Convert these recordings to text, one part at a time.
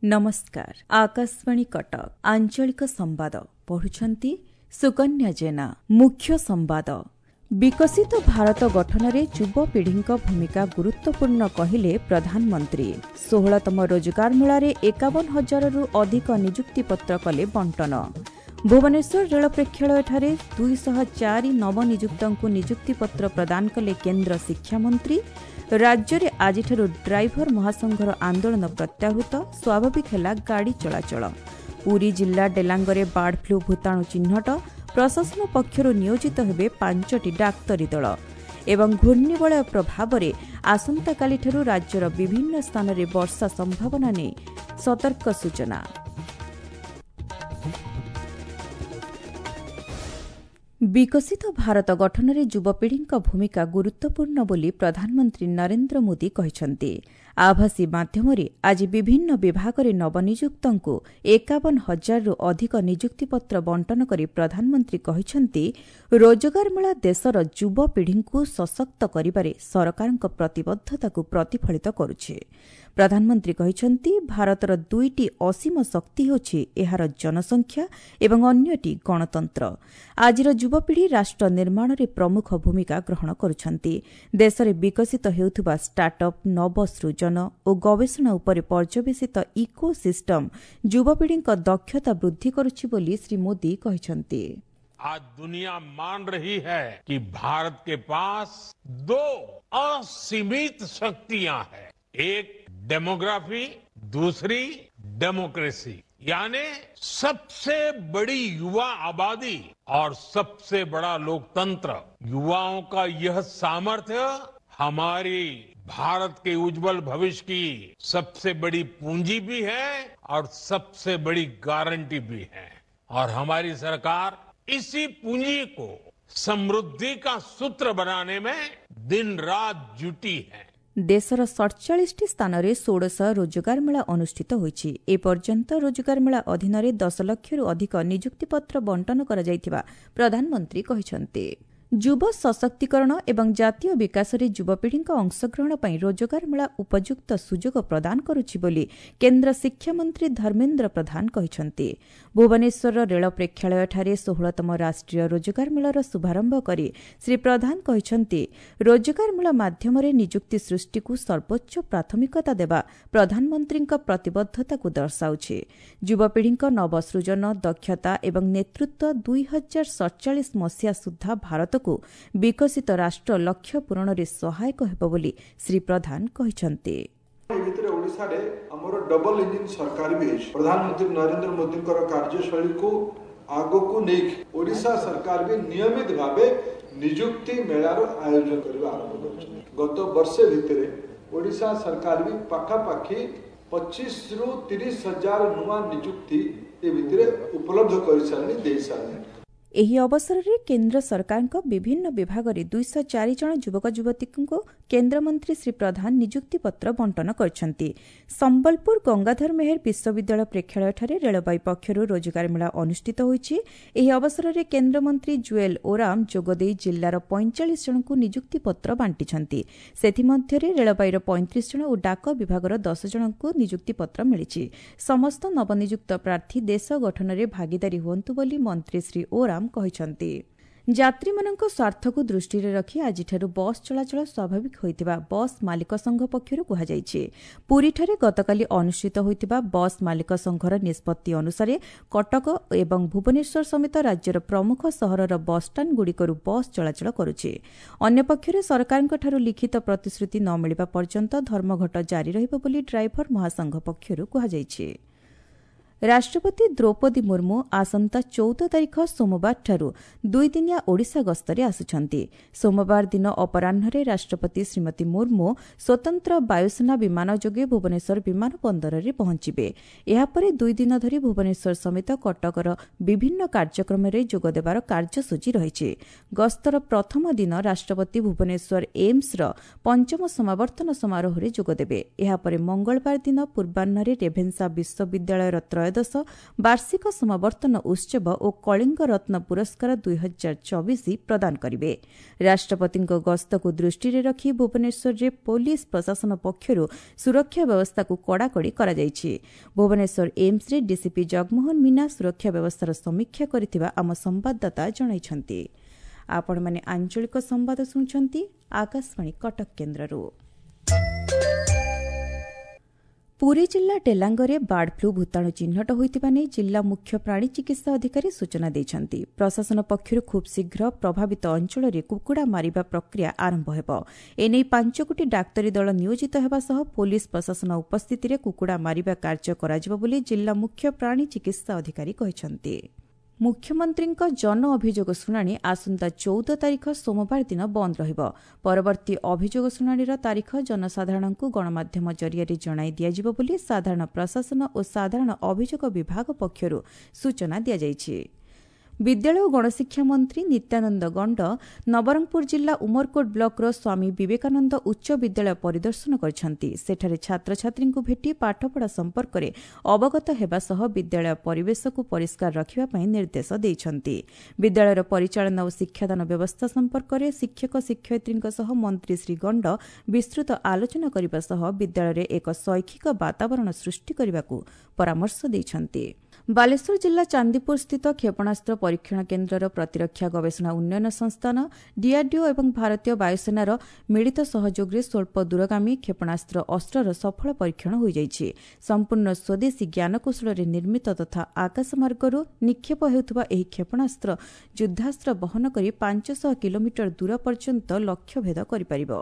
ନମସ୍କାର, ଆକାଶବାଣୀ କଟକ, ଆଞ୍ଚଳିକ ସମ୍ବାଦ ପଢୁଛନ୍ତି ସୁକନ୍ୟା ଜେନା। ମୁଖ୍ୟ ସମ୍ବାଦ। ବିକଶିତ ଭାରତ ଗଠନରେ ଯୁବପିଢ଼ିଙ୍କ ଭୂମିକା ଗୁରୁତ୍ୱପୂର୍ଣ୍ଣ କହିଲେ ପ୍ରଧାନମନ୍ତ୍ରୀ। 16ତମ ରୋଜଗାର ମେଳାରେ 51 ହଜାରରୁ ଅଧିକ ନିଯୁକ୍ତିପତ୍ର କଲେ ବଣ୍ଟନ। ଭୁବନେଶ୍ୱର ରେଳ ପ୍ରେକ୍ଷାଳୟଠାରେ 204 ନବନିଯୁକ୍ତଙ୍କୁ ନିଯୁକ୍ତିପତ୍ର ପ୍ରଦାନ କଲେ କେନ୍ଦ୍ର ଶିକ୍ଷାମନ୍ତ୍ରୀ। ରାଜ୍ୟରେ ଆଜିଠାରୁ ଡ୍ରାଇଭର ମହାସଂଘର ଆନ୍ଦୋଳନ ପ୍ରତ୍ୟାହୃତ, ସ୍ୱାଭାବିକ ହେଲା ଗାଡ଼ି ଚଳାଚଳ। ପୁରୀ ଜିଲ୍ଲା ଡେଲାଙ୍ଗରେ ବାର୍ଡ ଫ୍ଲୁ ଭୂତାଣୁ ଚିହ୍ନଟ, ପ୍ରଶାସନ ପକ୍ଷରୁ ନିୟୋଜିତ ହେବେ 5ଟି ଡାକ୍ତରୀ ଦଳ। ଏବଂ ଘୂର୍ଣ୍ଣିବଳୟ ପ୍ରଭାବରେ ଆସନ୍ତାକାଲିଠାରୁ ରାଜ୍ୟର ବିଭିନ୍ନ ସ୍ଥାନରେ ବର୍ଷା ସମ୍ଭାବନା ନେଇ ସତର୍କ ସୂଚନା। ବିକଶିତ ଭାରତ ଗଠନରେ ଯୁବପିଢ଼ିଙ୍କ ଭୂମିକା ଗୁରୁତ୍ୱପୂର୍ଣ୍ଣ ବୋଲି ପ୍ରଧାନମନ୍ତ୍ରୀ ନରେନ୍ଦ୍ର ମୋଦି କହିଛନ୍ତି। ଆଭାସୀ ମାଧ୍ୟମରେ ଆଜି ବିଭିନ୍ନ ବିଭାଗରେ ନବନିଯୁକ୍ତଙ୍କୁ 51 ହଜାରରୁ ଅଧିକ ନିଯୁକ୍ତିପତ୍ର ବଣ୍ଟନ କରି ପ୍ରଧାନମନ୍ତ୍ରୀ କହିଛନ୍ତି, ରୋଜଗାର ମେଳା ଦେଶର ଯୁବପିଢ଼ିଙ୍କୁ ସଶକ୍ତ କରିବାରେ ସରକାରଙ୍କ ପ୍ରତିବଦ୍ଧତାକୁ ପ୍ରତିଫଳିତ କରୁଛି। ପ୍ରଧାନମନ୍ତ୍ରୀ କହିଛନ୍ତି, ଭାରତର ଦୁଇଟି ଅସୀମ ଶକ୍ତି ହେଉଛି ଏହାର ଜନସଂଖ୍ୟା ଏବଂ ଅନ୍ୟଟି ଗଣତନ୍ତ୍ର। ଆଜିର ଯୁବପିଢ଼ି ରାଷ୍ଟ୍ର ନିର୍ମାଣରେ ପ୍ରମୁଖ ଭୂମିକା ଗ୍ରହଣ କରୁଛନ୍ତି। ଦେଶରେ ବିକଶିତ ହେଉଥିବା ଷ୍ଟାର୍ଟଅପ୍, ନବସୃଜନ ଓ ଗବେଷଣା ଉପରେ ପର୍ଯ୍ୟବେସିତ ଇକୋ ସିଷ୍ଟମ ଯୁବପିଢ଼ିଙ୍କ ଦକ୍ଷତା ବୃଦ୍ଧି କରୁଛି ବୋଲି ଶ୍ରୀ ମୋଦି କହିଛନ୍ତି। आज दुनिया मान रही है कि भारत के पास दो असीमित शक्तियां हैं, एक डेमोग्राफी, दूसरी डेमोक्रेसी, यानी सबसे बड़ी युवा आबादी और सबसे बड़ा लोकतंत्र। युवाओं का यह सामर्थ्य हमारी भारत के उज्जवल भविष्य की सबसे बड़ी पूंजी भी है और सबसे बड़ी गारंटी भी है। और हमारी सरकार इसी पूंजी को समृद्धि का सूत्र बनाने में दिन रात जुटी है। ଦେଶର 47ଟି ସ୍ଥାନରେ ଷୋଡ଼ଶ ରୋଜଗାର ମେଳା ଅନୁଷ୍ଠିତ ହୋଇଛି। ଏପର୍ଯ୍ୟନ୍ତ ରୋଜଗାର ମେଳା ଅଧୀନରେ 10 ଲକ୍ଷରୁ ଅଧିକ ନିଯୁକ୍ତିପତ୍ର ବଣ୍ଟନ କରାଯାଇଥିବା ପ୍ରଧାନମନ୍ତ୍ରୀ କହିଛନ୍ତି। ଯୁବ ସଶକ୍ତିକରଣ ଏବଂ ଜାତୀୟ ବିକାଶରେ ଯୁବପିଢ଼ିଙ୍କ ଅଂଶଗ୍ରହଣ ପାଇଁ ରୋଜଗାର ମେଳା ଉପଯୁକ୍ତ ସୁଯୋଗ ପ୍ରଦାନ କରୁଛି ବୋଲି କେନ୍ଦ୍ର ଶିକ୍ଷାମନ୍ତ୍ରୀ ଧର୍ମେନ୍ଦ୍ର ପ୍ରଧାନ କହିଛନ୍ତି। ଭୁବନେଶ୍ୱରର ରେଳ ପ୍ରେକ୍ଷାଳୟଠାରେ 16ତମ ରାଷ୍ଟ୍ରୀୟ ରୋଜଗାର ମେଳାର ଶୁଭାରମ୍ଭ କରି ଶ୍ରୀ ପ୍ରଧାନ କହିଛନ୍ତି, ରୋଜଗାର ମେଳା ମାଧ୍ୟମରେ ନିଯୁକ୍ତି ସୃଷ୍ଟିକୁ ସର୍ବୋଚ୍ଚ ପ୍ରାଥମିକତା ଦେବା ପ୍ରଧାନମନ୍ତ୍ରୀଙ୍କ ପ୍ରତିବଦ୍ଧତାକୁ ଦର୍ଶାଉଛି। ଯୁବପିଢ଼ିଙ୍କ ନବସୃଜନ, ଦକ୍ଷତା ଏବଂ ନେତୃତ୍ୱ 2047 ମସିହା ସୁଦ୍ଧା ଭାରତକୁ ବିକଶିତ ରାଷ୍ଟ୍ର ଲକ୍ଷ୍ୟ ପୂରଣରେ ସହାୟକ ହେବ ବୋଲି ଶ୍ରୀ ପ୍ରଧାନ କହିଛନ୍ତି। ଏ ଭିତରେ ଓଡ଼ିଶାରେ ଆମର ଡବଲ ଇଞ୍ଜିନ ସରକାର ବି ହେଇଛି। ପ୍ରଧାନମନ୍ତ୍ରୀ ନରେନ୍ଦ୍ର ମୋଦିଙ୍କର କାର୍ଯ୍ୟଶୈଳୀକୁ ଆଗକୁ ନେଇକି ଓଡ଼ିଶା ସରକାର ବି ନିୟମିତ ଭାବେ ନିଯୁକ୍ତି ମେଳାର ଆୟୋଜନ କରିବା ଆରମ୍ଭ କରିଛନ୍ତି। ଗତ ବର୍ଷେ ଭିତରେ ଓଡ଼ିଶା ସରକାର ବି ପାଖାପାଖି 25ରୁ 30 ହଜାର ନୂଆ ନିଯୁକ୍ତି ଏ ଭିତରେ ଉପଲବ୍ଧ କରିସାରିଲେଣି, ଦେଇସାରିଲେଣି। ଏହି ଅବସରରେ କେନ୍ଦ୍ର ସରକାରଙ୍କ ବିଭିନ୍ନ ବିଭାଗରେ 204 ଜଣ ଯୁବକ ଯୁବତୀଙ୍କୁ କେନ୍ଦ୍ରମନ୍ତ୍ରୀ ଶ୍ରୀ ପ୍ରଧାନ ନିଯୁକ୍ତିପତ୍ର ବଣ୍ଟନ କରିଛନ୍ତି। ସମ୍ବଲପୁର ଗଙ୍ଗାଧର ମେହେର ବିଶ୍ୱବିଦ୍ୟାଳୟ ପ୍ରେକ୍ଷାଳୟଠାରେ ରେଳବାଇ ପକ୍ଷରୁ ରୋଜଗାର ମେଳା ଅନୁଷ୍ଠିତ ହୋଇଛି। ଏହି ଅବସରରେ କେନ୍ଦ୍ରମନ୍ତ୍ରୀ ଜୁଏଲ ଓରାମ ଯୋଗଦେଇ ଜିଲ୍ଲାର 45 ଜଣଙ୍କୁ ନିଯୁକ୍ତିପତ୍ର ବାଣ୍ଟିଛନ୍ତି। ସେଥିମଧ୍ୟରେ ରେଳବାଇର 35 ଜଣ ଓ ଡାକ ବିଭାଗର 10 ଜଣଙ୍କୁ ନିଯୁକ୍ତିପତ୍ର ମିଳିଛି। ସମସ୍ତ ନବନିଯୁକ୍ତ ପ୍ରାର୍ଥୀ ଦେଶ ଗଠନରେ ଭାଗିଦାରୀ ହୁଅନ୍ତୁ ବୋଲି ମନ୍ତ୍ରୀ ଶ୍ରୀ ଓରାମ କହିଛନ୍ତି। ଯାତ୍ରୀମାନଙ୍କ ସ୍ୱାର୍ଥକୁ ଦୃଷ୍ଟିରେ ରଖି ଆଜିଠାରୁ ବସ୍ ଚଳାଚଳ ସ୍ୱାଭାବିକ ହୋଇଥିବା ବସ୍ ମାଲିକ ସଂଘ ପକ୍ଷରୁ କୁହାଯାଇଛି। ପୁରୀଠାରେ ଗତକାଲି ଅନୁଷ୍ଠିତ ହୋଇଥିବା ବସ୍ ମାଲିକ ସଂଘର ନିଷ୍ପତ୍ତି ଅନୁସାରେ କଟକ ଏବଂ ଭୁବନେଶ୍ୱର ସମେତ ରାଜ୍ୟର ପ୍ରମୁଖ ସହରର ବସ୍ଷ୍ଟାଣ୍ଡଗୁଡ଼ିକରୁ ବସ୍ ଚଳାଚଳ କରୁଛି। ଅନ୍ୟପକ୍ଷରେ ସରକାରଙ୍କଠାରୁ ଲିଖିତ ପ୍ରତିଶ୍ରୁତି ନ ମିଳିବା ପର୍ଯ୍ୟନ୍ତ ଧର୍ମଘଟ ଜାରି ରହିବ ବୋଲି ଡ୍ରାଇଭର ମହାସଂଘ ପକ୍ଷରୁ କୁହାଯାଇଛି। ରାଷ୍ଟ୍ରପତି ଦ୍ରୌପଦୀ ମୁର୍ମୁ ଆସନ୍ତା 14 ତାରିଖ ସୋମବାରଠାରୁ ଦୁଇଦିନିଆ ଓଡ଼ିଶା ଗସ୍ତରେ ଆସୁଛନ୍ତି। ସୋମବାର ଦିନ ଅପରାହ୍ନରେ ରାଷ୍ଟ୍ରପତି ଶ୍ରୀମତୀ ମୁର୍ମୁ ସ୍ୱତନ୍ତ୍ର ବାୟୁସେନା ବିମାନ ଯୋଗେ ଭୁବନେଶ୍ୱର ବିମାନ ବନ୍ଦରରେ ପହଞ୍ଚିବେ। ଏହାପରେ ଦୁଇଦିନ ଧରି ଭୁବନେଶ୍ୱର ସମେତ କଟକର ବିଭିନ୍ନ କାର୍ଯ୍ୟକ୍ରମରେ ଯୋଗଦେବାର କାର୍ଯ୍ୟସୂଚୀ ରହିଛି। ଗସ୍ତର ପ୍ରଥମ ଦିନ ରାଷ୍ଟ୍ରପତି ଭୁବନେଶ୍ୱର ଏମ୍ସର ପଞ୍ଚମ ସମାବର୍ତ୍ତନ ସମାରୋହରେ ଯୋଗଦେବେ। ଏହାପରେ ମଙ୍ଗଳବାର ଦିନ ପୂର୍ବାହ୍ନରେ ରେଭେନ୍ସା ବିଶ୍ୱବିଦ୍ୟାଳୟର ତ୍ରୟୋଦଶ ବାର୍ଷିକ ସମାବର୍ତ୍ତନ ଉତ୍ସବ ଓ କଳିଙ୍ଗ ରତ୍ନ ପୁରସ୍କାର 2024 ପ୍ରଦାନ କରିବେ। ରାଷ୍ଟ୍ରପତିଙ୍କ ଗସ୍ତକୁ ଦୃଷ୍ଟିରେ ରଖି ଭୁବନେଶ୍ୱରରେ ପୋଲିସ ପ୍ରଶାସନ ପକ୍ଷରୁ ସୁରକ୍ଷା ବ୍ୟବସ୍ଥାକୁ କଡ଼ାକଡ଼ି କରାଯାଇଛି। ଭୁବନେଶ୍ୱର ଏମ୍ସରେ ଡିସିପି ଜଗମୋହନ ମୀନା ସୁରକ୍ଷା ବ୍ୟବସ୍ଥାର ସମୀକ୍ଷା କରିଥିବା ଆମ ସମ୍ବାଦଦାତା ଜଣାଇଛନ୍ତି। ଆପଣମାନେ ଆଞ୍ଚଳିକ ସମ୍ବାଦ ଶୁଣୁଛନ୍ତି ଆକାଶବାଣୀ କଟକ କେନ୍ଦ୍ରରୁ। ପୁରୀ ଜିଲ୍ଲା ଡେଲାଙ୍ଗରେ ବାର୍ଡ ଫ୍ଲୁ ଭୂତାଣୁ ଚିହ୍ନଟ ହୋଇଥିବା ନେଇ ଜିଲ୍ଲା ମୁଖ୍ୟ ପ୍ରାଣୀ ଚିକିତ୍ସା ଅଧିକାରୀ ସୂଚନା ଦେଇଛନ୍ତି। ପ୍ରଶାସନ ପକ୍ଷରୁ ଖୁବ୍ ଶୀଘ୍ର ପ୍ରଭାବିତ ଅଞ୍ଚଳରେ କୁକୁଡ଼ା ମାରିବା ପ୍ରକ୍ରିୟା ଆରମ୍ଭ ହେବ। ଏନେଇ 5 ଗୋଟି ଡାକ୍ତରୀ ଦଳ ନିୟୋଜିତ ହେବା ସହ ପୋଲିସ ପ୍ରଶାସନ ଉପସ୍ଥିତିରେ କୁକୁଡ଼ା ମାରିବା କାର୍ଯ୍ୟ କରାଯିବ ବୋଲି ଜିଲ୍ଲା ମୁଖ୍ୟ ପ୍ରାଣୀ ଚିକିତ୍ସା ଅଧିକାରୀ କହିଛନ୍ତି। ମୁଖ୍ୟମନ୍ତ୍ରୀଙ୍କ ଜନ ଅଭିଯୋଗ ଶୁଣାଣି ଆସନ୍ତା 14 ତାରିଖ ସୋମବାର ଦିନ ବନ୍ଦ ରହିବ। ପରବର୍ତ୍ତୀ ଅଭିଯୋଗ ଶୁଣାଣିର ତାରିଖ ଜନସାଧାରଣଙ୍କୁ ଗଣମାଧ୍ୟମ ଜରିଆରେ ଜଣାଇ ଦିଆଯିବ ବୋଲି ସାଧାରଣ ପ୍ରଶାସନ ଓ ସାଧାରଣ ଅଭିଯୋଗ ବିଭାଗ ପକ୍ଷରୁ ସୂଚନା ଦିଆଯାଇଛି। ବିଦ୍ୟାଳୟ ଓ ଗଣଶିକ୍ଷା ମନ୍ତ୍ରୀ ନିତ୍ୟାନନ୍ଦ ଗଣ୍ଡ ନବରଙ୍ଗପୁର ଜିଲ୍ଲା ଉମରକୋଟ ବ୍ଲକର ସ୍ୱାମୀ ବିବେକାନନ୍ଦ ଉଚ୍ଚ ବିଦ୍ୟାଳୟ ପରିଦର୍ଶନ କରିଛନ୍ତି। ସେଠାରେ ଛାତ୍ରଛାତ୍ରୀଙ୍କୁ ଭେଟି ପାଠପଢ଼ା ସମ୍ପର୍କରେ ଅବଗତ ହେବା ସହ ବିଦ୍ୟାଳୟ ପରିବେଶକୁ ପରିଷ୍କାର ରଖିବା ପାଇଁ ନିର୍ଦ୍ଦେଶ ଦେଇଛନ୍ତି। ବିଦ୍ୟାଳୟର ପରିଚାଳନା ଓ ଶିକ୍ଷାଦାନ ବ୍ୟବସ୍ଥା ସମ୍ପର୍କରେ ଶିକ୍ଷକ ଶିକ୍ଷୟିତ୍ରୀଙ୍କ ସହ ମନ୍ତ୍ରୀ ଶ୍ରୀ ଗଣ୍ଡ ବିସ୍ତୃତ ଆଲୋଚନା କରିବା ସହ ବିଦ୍ୟାଳୟରେ ଏକ ଶୈକ୍ଷିକ ବାତାବରଣ ସୃଷ୍ଟି କରିବାକୁ ପରାମର୍ଶ ଦେଇଛନ୍ତି। ବାଲେଶ୍ୱର ଜିଲ୍ଲା ଚାନ୍ଦିପୁର ସ୍ଥିତ କ୍ଷେପଣାସ୍ତ୍ର ପରୀକ୍ଷଣ କେନ୍ଦ୍ରର ପ୍ରତିରକ୍ଷା ଗବେଷଣା ଉନ୍ନୟନ ସଂସ୍ଥାନ ଡିଆର୍ଡିଓ ଏବଂ ଭାରତୀୟ ବାୟୁସେନାର ମିଳିତ ସହଯୋଗରେ ସ୍ୱଳ୍ପ ଦୂରଗାମୀ କ୍ଷେପଣାସ୍ତ୍ର ଅସ୍ତ୍ରର ସଫଳ ପରୀକ୍ଷଣ ହୋଇଯାଇଛି। ସମ୍ପୂର୍ଣ୍ଣ ସ୍ୱଦେଶୀ ଜ୍ଞାନକୌଶଳରେ ନିର୍ମିତ ତଥା ଆକାଶମାର୍ଗରୁ ନିକ୍ଷେପ ହେଉଥିବା ଏହି କ୍ଷେପଣାସ୍ତ୍ର ଯୁଦ୍ଧାସ୍ତ୍ର ବହନ କରି 500 କିଲୋମିଟର ଦୂର ପର୍ଯ୍ୟନ୍ତ ଲକ୍ଷ୍ୟଭେଦ କରିପାରିବ।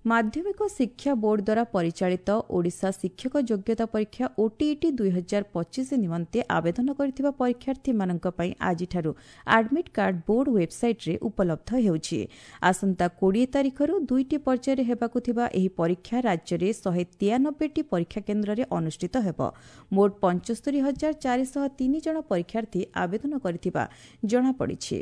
ମାଧ୍ୟମିକ ଶିକ୍ଷା ବୋର୍ଡ ଦ୍ୱାରା ପରିଚାଳିତ ଓଡ଼ିଶା ଶିକ୍ଷକ ଯୋଗ୍ୟତା ପରୀକ୍ଷା ଓଟିଇଟି 2025 ନିମନ୍ତେ ଆବେଦନ କରିଥିବା ପରୀକ୍ଷାର୍ଥୀମାନଙ୍କ ପାଇଁ ଆଜିଠାରୁ ଆଡମିଟ୍ କାର୍ଡ ବୋର୍ଡ ୱେବ୍ସାଇଟ୍ରେ ଉପଲବ୍ଧ ହେଉଛି। ଆସନ୍ତା 20 ତାରିଖରୁ ଦୁଇଟି ପର୍ଯ୍ୟାୟରେ ହେବାକୁ ଥିବା ଏହି ପରୀକ୍ଷା ରାଜ୍ୟରେ 193ଟି ପରୀକ୍ଷା କେନ୍ଦ୍ରରେ ଅନୁଷ୍ଠିତ ହେବ। ମୋଟ 75,403 ଜଣ ପରୀକ୍ଷାର୍ଥୀ ଆବେଦନ କରିଥିବା ଜଣାପଡ଼ିଛି।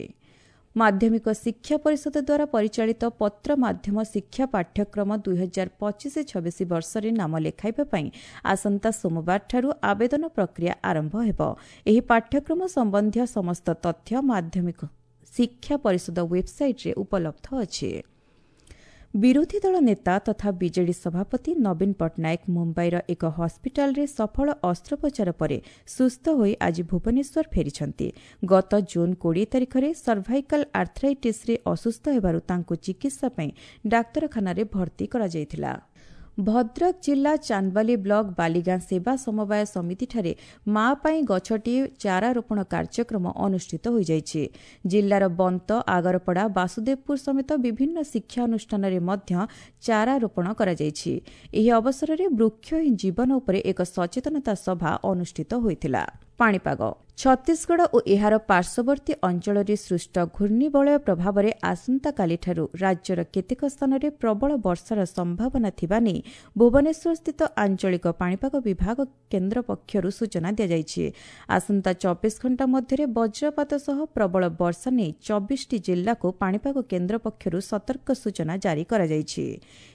ମାଧ୍ୟମିକ ଶିକ୍ଷା ପରିଷଦ ଦ୍ୱାରା ପରିଚାଳିତ ପତ୍ର ମାଧ୍ୟମ ଶିକ୍ଷା ପାଠ୍ୟକ୍ରମ 2025-26 ବର୍ଷରେ ନାମ ଲେଖାଇବା ପାଇଁ ଆସନ୍ତା ସୋମବାରଠାରୁ ଆବେଦନ ପ୍ରକ୍ରିୟା ଆରମ୍ଭ ହେବ। ଏହି ପାଠ୍ୟକ୍ରମ ସମ୍ବନ୍ଧୀୟ ସମସ୍ତ ତଥ୍ୟ ମାଧ୍ୟମିକ ଶିକ୍ଷା ପରିଷଦ ୱେବ୍ସାଇଟ୍ରେ ଉପଲବ୍ଧ ଅଛି। ବିରୋଧୀ ଦଳ ନେତା ତଥା ବିଜେଡି ସଭାପତି ନବୀନ ପଟ୍ଟନାୟକ ମୁମ୍ବାଇର ଏକ ହସ୍ପିଟାଲରେ ସଫଳ ଅସ୍ତ୍ରୋପଚାର ପରେ ସୁସ୍ଥ ହୋଇ ଆଜି ଭୁବନେଶ୍ୱର ଫେରିଛନ୍ତି। ଗତ ଜୁନ୍ 20 ତାରିଖରେ ସର୍ଭାଇକାଲ ଆର୍ଥ୍ରାଇଟିସ୍ରେ ଅସୁସ୍ଥ ହେବାରୁ ତାଙ୍କୁ ଚିକିତ୍ସା ପାଇଁ ଡାକ୍ତରଖାନାରେ ଭର୍ତ୍ତି କରାଯାଇଥିଲା। ଭଦ୍ରକ ଜିଲ୍ଲା ଚାନ୍ଦବାଲି ବ୍ଲକ ବାଲିଗାଁ ସେବା ସମବାୟ ସମିତିଠାରେ ମା ପାଇଁ ଗଛଟିଏ ଚାରା ରୋପଣ କାର୍ଯ୍ୟକ୍ରମ ଅନୁଷ୍ଠିତ ହୋଇଯାଇଛି। ଜିଲ୍ଲାର ବନ୍ତ, ଆଗରପଡ଼ା, ବାସୁଦେବପୁର ସମେତ ବିଭିନ୍ନ ଶିକ୍ଷା ଅନୁଷ୍ଠାନରେ ମଧ୍ୟ ଚାରା ରୋପଣ କରାଯାଇଛି। ଏହି ଅବସରରେ ବୃକ୍ଷ ହିଁ ଜୀବନ ଉପରେ ଏକ ସଚେତନତା ସଭା ଅନୁଷ୍ଠିତ ହୋଇଥିଲା। ପାଣିପାଗ। ଛତିଶଗଡ଼ ଓ ଏହାର ପାର୍ଶ୍ୱବର୍ତ୍ତୀ ଅଞ୍ଚଳରେ ସୃଷ୍ଟ ଘୂର୍ଣ୍ଣିବଳୟ ପ୍ରଭାବରେ ଆସନ୍ତାକାଲିଠାରୁ ରାଜ୍ୟର କେତେକ ସ୍ଥାନରେ ପ୍ରବଳ ବର୍ଷାର ସମ୍ଭାବନା ଥିବା ନେଇ ଭୁବନେଶ୍ୱରସ୍ଥିତ ଆଞ୍ଚଳିକ ପାଣିପାଗ ବିଭାଗ କେନ୍ଦ୍ର ପକ୍ଷରୁ ସୂଚନା ଦିଆଯାଇଛି। ଆସନ୍ତା 24 ଘଣ୍ଟା ମଧ୍ୟରେ ବଜ୍ରପାତ ସହ ପ୍ରବଳ ବର୍ଷା ନେଇ 24ଟି ଜିଲ୍ଲାକୁ ପାଣିପାଗ କେନ୍ଦ୍ର ପକ୍ଷରୁ ସତର୍କ ସୂଚନା ଜାରି କରାଯାଇଛି।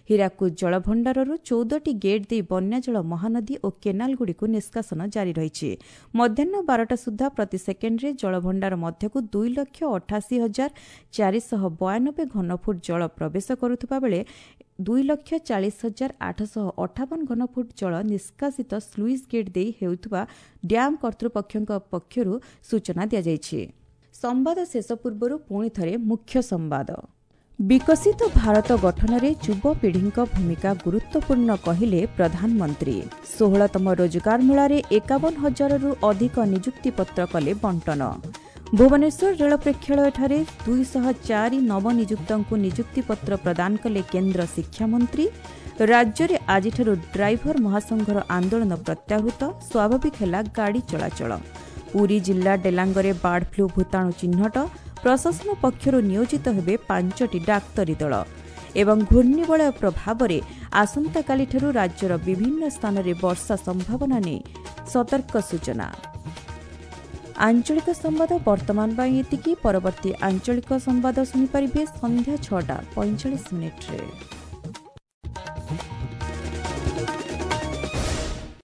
ହୀରାକୁଦ ଜଳଭଣ୍ଡାରରୁ 14ଟି ଗେଟ୍ ଦେଇ ବନ୍ୟାଜଳ ମହାନଦୀ ଓ କେନାଲଗୁଡ଼ିକୁ ନିଷ୍କାସନ ଜାରି ରହିଛି। ମଧ୍ୟାହ୍ନ 12ଟା ସୁଦ୍ଧା ପ୍ରତି ସେକେଣ୍ଡରେ ଜଳଭଣ୍ଡାର ମଧ୍ୟକୁ 2,88,492 ଘନଫୁଟ ଜଳ ପ୍ରବେଶ କରୁଥିବା ବେଳେ 2,40,858 ଘନଫୁଟ ଜଳ ନିଷ୍କାସିତ ସ୍ଲୁଇସ୍ ଗେଟ୍ ଦେଇ ହେଉଥିବା ଡ୍ୟାମ୍ କର୍ତ୍ତୃପକ୍ଷଙ୍କ ପକ୍ଷରୁ ସୂଚନା ଦିଆଯାଇଛି। ସମ୍ବାଦ ଶେଷ ପୂର୍ବରୁ ପୁଣି ଥରେ ମୁଖ୍ୟ ସମ୍ବାଦ। ବିକଶିତ ଭାରତ ଗଠନରେ ଯୁବପିଢ଼ିଙ୍କ ଭୂମିକା ଗୁରୁତ୍ୱପୂର୍ଣ୍ଣ କହିଲେ ପ୍ରଧାନମନ୍ତ୍ରୀ। 16ତମ ରୋଜଗାର ମେଳାରେ 51,000ରୁ ଅଧିକ ନିଯୁକ୍ତିପତ୍ର କଲେ ବଣ୍ଟନ। ଭୁବନେଶ୍ୱର ରେଳ ପ୍ରେକ୍ଷାଳୟଠାରେ 204 ନବନିଯୁକ୍ତଙ୍କୁ ନିଯୁକ୍ତିପତ୍ର ପ୍ରଦାନ କଲେ କେନ୍ଦ୍ର ଶିକ୍ଷାମନ୍ତ୍ରୀ। ରାଜ୍ୟରେ ଆଜିଠାରୁ ଡ୍ରାଇଭର ମହାସଂଘର ଆନ୍ଦୋଳନ ପ୍ରତ୍ୟାହୃତ, ସ୍ୱାଭାବିକ ହେଲା ଗାଡ଼ି ଚଳାଚଳ। ପୁରୀ ଜିଲ୍ଲା ଡେଲାଙ୍ଗରେ ବାର୍ଡ ଫ୍ଲୁ ଭୂତାଣୁ ଚିହ୍ନଟ, ପ୍ରଶାସନ ପକ୍ଷରୁ ନିୟୋଜିତ ହେବେ 5ଟି ଡାକ୍ତରୀ ଦଳ। ଏବଂ ଘୂର୍ଣ୍ଣିବଳୟ ପ୍ରଭାବରେ ଆସନ୍ତାକାଲିଠାରୁ ରାଜ୍ୟର ବିଭିନ୍ନ ସ୍ଥାନରେ ବର୍ଷା ସମ୍ଭାବନା ନେଇ ସତର୍କ ସୂଚନା। ଆଞ୍ଚଳିକ ସମ୍ବାଦ ବର୍ତ୍ତମାନ ପାଇଁ ଏତିକି। ପରବର୍ତ୍ତୀ ଆଞ୍ଚଳିକ ସମ୍ବାଦ ଶୁଣିପାରିବେ ସନ୍ଧ୍ୟା 6:45।